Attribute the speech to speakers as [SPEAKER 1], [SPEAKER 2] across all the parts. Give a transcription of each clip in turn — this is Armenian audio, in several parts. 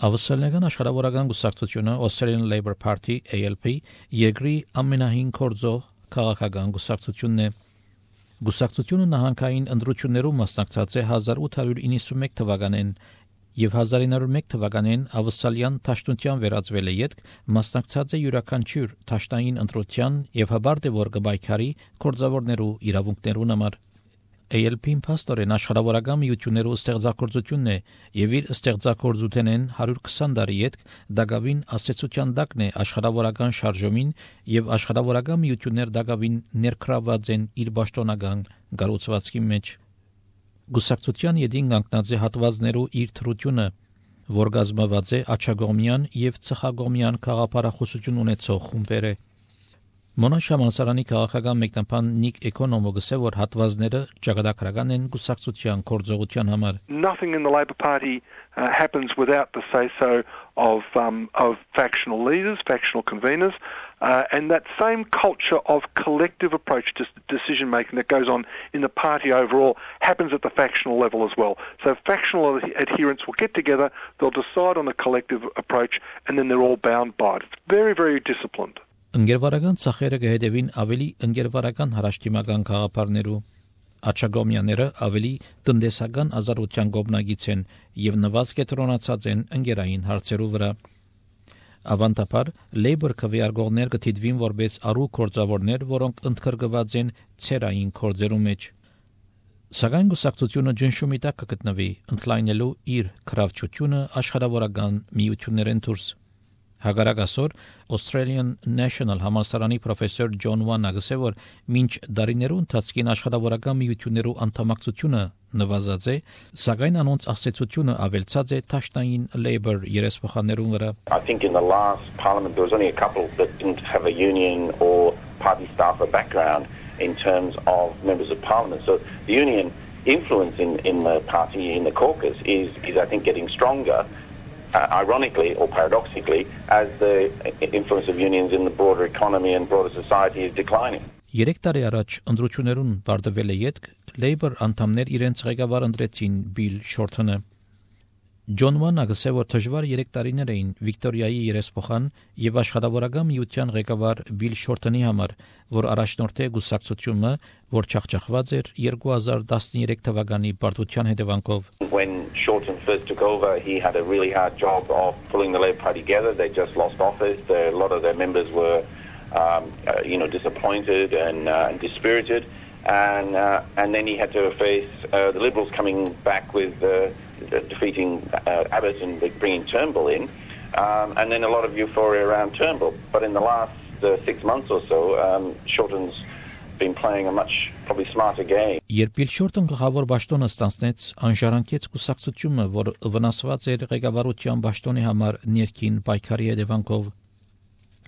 [SPEAKER 1] Ավստրալիական աշխարհավորական գուսակցությունը Australian Labour Party ALP երկրի ամենահին կորձող քաղաքական գուսակցությունն է։ Գուսակցությունը նահանգային ընտրություններում մասնակցած է 1891 թվականին եւ 1901 թվականին ավստրալիան Թաշտունտյան վերածվել է յետք մասնակցած է յուրաքանչյուր Թաշտային ընտրության եւ հաբարդ է որ գբայքարի կորձավորներու իրավունքներուն համար։ ALP-ին փաստորեն աշխարհավորական միություններու ստեղծագործությունն է եւ իր ստեղծագործութենեն 120 տարի յետք դակավին ասեցության դակն է աշխարհավորական շարժումին եւ աշխարհավորական միություններ դակավին ներկրաված են իր պաշտոնական գառուցվածքի մեջ։ Գուսակցության յետին կանգնած է հատվածներու իր թրությունը, որ գազմաված է աչագոմյան եւ ցխագոմյան խաղապարախոսություն ունեցող խումբերը։ Մոնաշ համալսարանի քաղաքական մեկնաբան Նիկ Էկոնոմը գսե որ հատվածները ճակատագրական են գուսակցության կորձողության համար։
[SPEAKER 2] Nothing in the Labour Party happens without the say-so of factional leaders, factional conveners, and that same culture of collective approach to decision making that goes on in the party overall happens at the factional level as well. So factional adherents will get together, they'll decide on a collective approach, and then they're all bound by it. It's very, very disciplined.
[SPEAKER 1] Ընկերվարական ցախերը կհետևին ավելի ընկերվարական հարաշտիմական խաղապարներու, աչագոմյաները ավելի տնտեսական ազատության գոբնագից են եւ նվազ կետրոնացած են ընկերային հարցերու վրա։ Ավանդաբար Labour քվեարկողներ կթիդվին որպես առու կորձավորներ, որոնք ընդգրկված են ցերային կորձերու մեջ։ Սակայն գուսակցությունը ջնշումի տակ կգտնվի, ընդլայնելու իր քրավչությունը աշխարհավորական միություններեն դուրս։ Հագարակասոր Australian National համալսարանի պրոֆեսոր Ջոն Վանը գսե որ մինչ դարիներու ընթացքին աշխարհավորական միություններու անդամակցությունը նվազած է, սակայն անոնց ասեցությունը ավելցած է Թաշտային Labour երեսփոխաններուն վրա։
[SPEAKER 3] I think in the last parliament there was only a couple that didn't have a union or party staffer background in terms of members of parliament. So the union influence in the party, in the caucus, is I think getting stronger. Ironically or paradoxically, as the influence of unions in the broader economy and broader society is declining.
[SPEAKER 1] 3 տարի առաջ ընտրություններուն բարձվել է յետք Labour անդամներ իրենց ղեկավար ընտրեցին Bill Shorten-ը։ Ջոն Վանը գսե որ դժվար 3 տարիներ էին Վիկտորիայի երեսփոխան եւ աշխարհավորական միության ղեկավար Bill Shorten-ի համար, որ առաջնորդ է գուսակցությունը, որ չախճախված էր 2013 թվականի բարդության հետևանքով։
[SPEAKER 3] When Shorten first took over, he had a really hard job of pulling the Labour Party together. They just lost office. A lot of their members were, disappointed and dispirited, and then he had to face the Liberals coming back with defeating Abbott and bringing Turnbull in, and then a lot of euphoria around Turnbull. But in the last 6 months or so, Shorten's been playing a much probably smarter game.
[SPEAKER 1] Երբ Bill Shorten գլխավոր պաշտոնը ստանձնեց, անժառանգեց կուսակցությունը, որ վնասված էր ղեկավարության պաշտոնի համար ներքին պայքարի հետևանքով։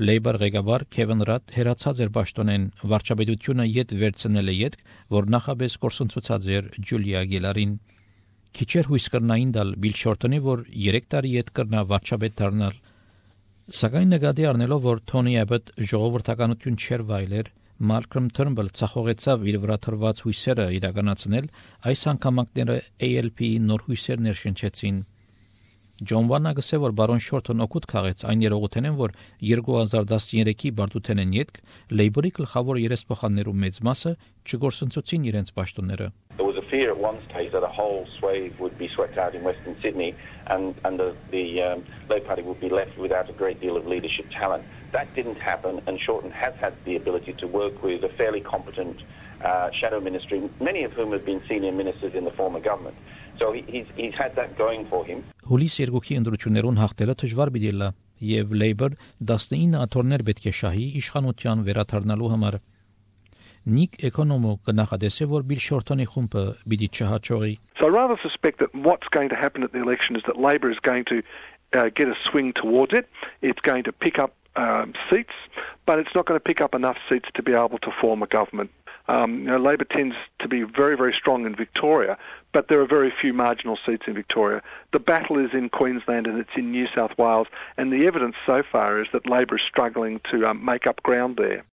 [SPEAKER 1] Labour ղեկավար Kevin Rudd հերացած էր պաշտոնեն, վարչապետությունը յետ վերցնել է յետք, որ նախապես կորսնցուցած էր Ջուլիա Գիլարին։ Քիչեր հույս կրնային դալ Bill Shorten-ի, որ 3 տարի յետ կրնա վարչապետ դառնալ։ Սակայն նկատի առնելով, որ Tony Abbott ժողովրդականություն չէր վայելեր, Malcolm Turnbull ցախողեցավ իր վրա թրված հույսերը իրականացնել, այս անգամակները ALP-ի նոր հույսեր ներշնչեցին։ Ջոն Վանը գսե որ բարոն Շորթն օգուտ քաղեց այն երողութենեն, որ 2013-ի բարդութենեն յետք Labour-ի գլխավոր երեսփոխաններու մեծ մասը չգործընծուցին իրենց պաշտոնները։
[SPEAKER 3] There was a fear at one stage that a whole swathe would be swept out in Western Sydney and the Labour Party would be left without a great deal of leadership talent. That didn't happen, and Shorten has had the ability to work with a fairly competent shadow ministry, many of whom have been senior ministers in the former government. So he's had that going for him.
[SPEAKER 1] Հուլիս 2-ի ընտրություններուն հաղթելը դժվար պիտի լա, եւ Labour 19 աթոռներ պետք է շահի իշխանության վերաթարնալու համար։ Նիկ Էկոնոմը կնախադեսե որ Bill Shorten-ի խումբը պիտի չհաջողի։
[SPEAKER 2] So I rather suspect that what's going to happen at the election is that Labour is going to get a swing towards it. It's going to pick up seats, but it's not going to pick up enough seats to be able to form a government. Labour tends to be very, very strong in Victoria, but there are very few marginal seats in Victoria. The battle is in Queensland and it's in New South Wales, and the evidence so far is that Labour is struggling to make up ground there.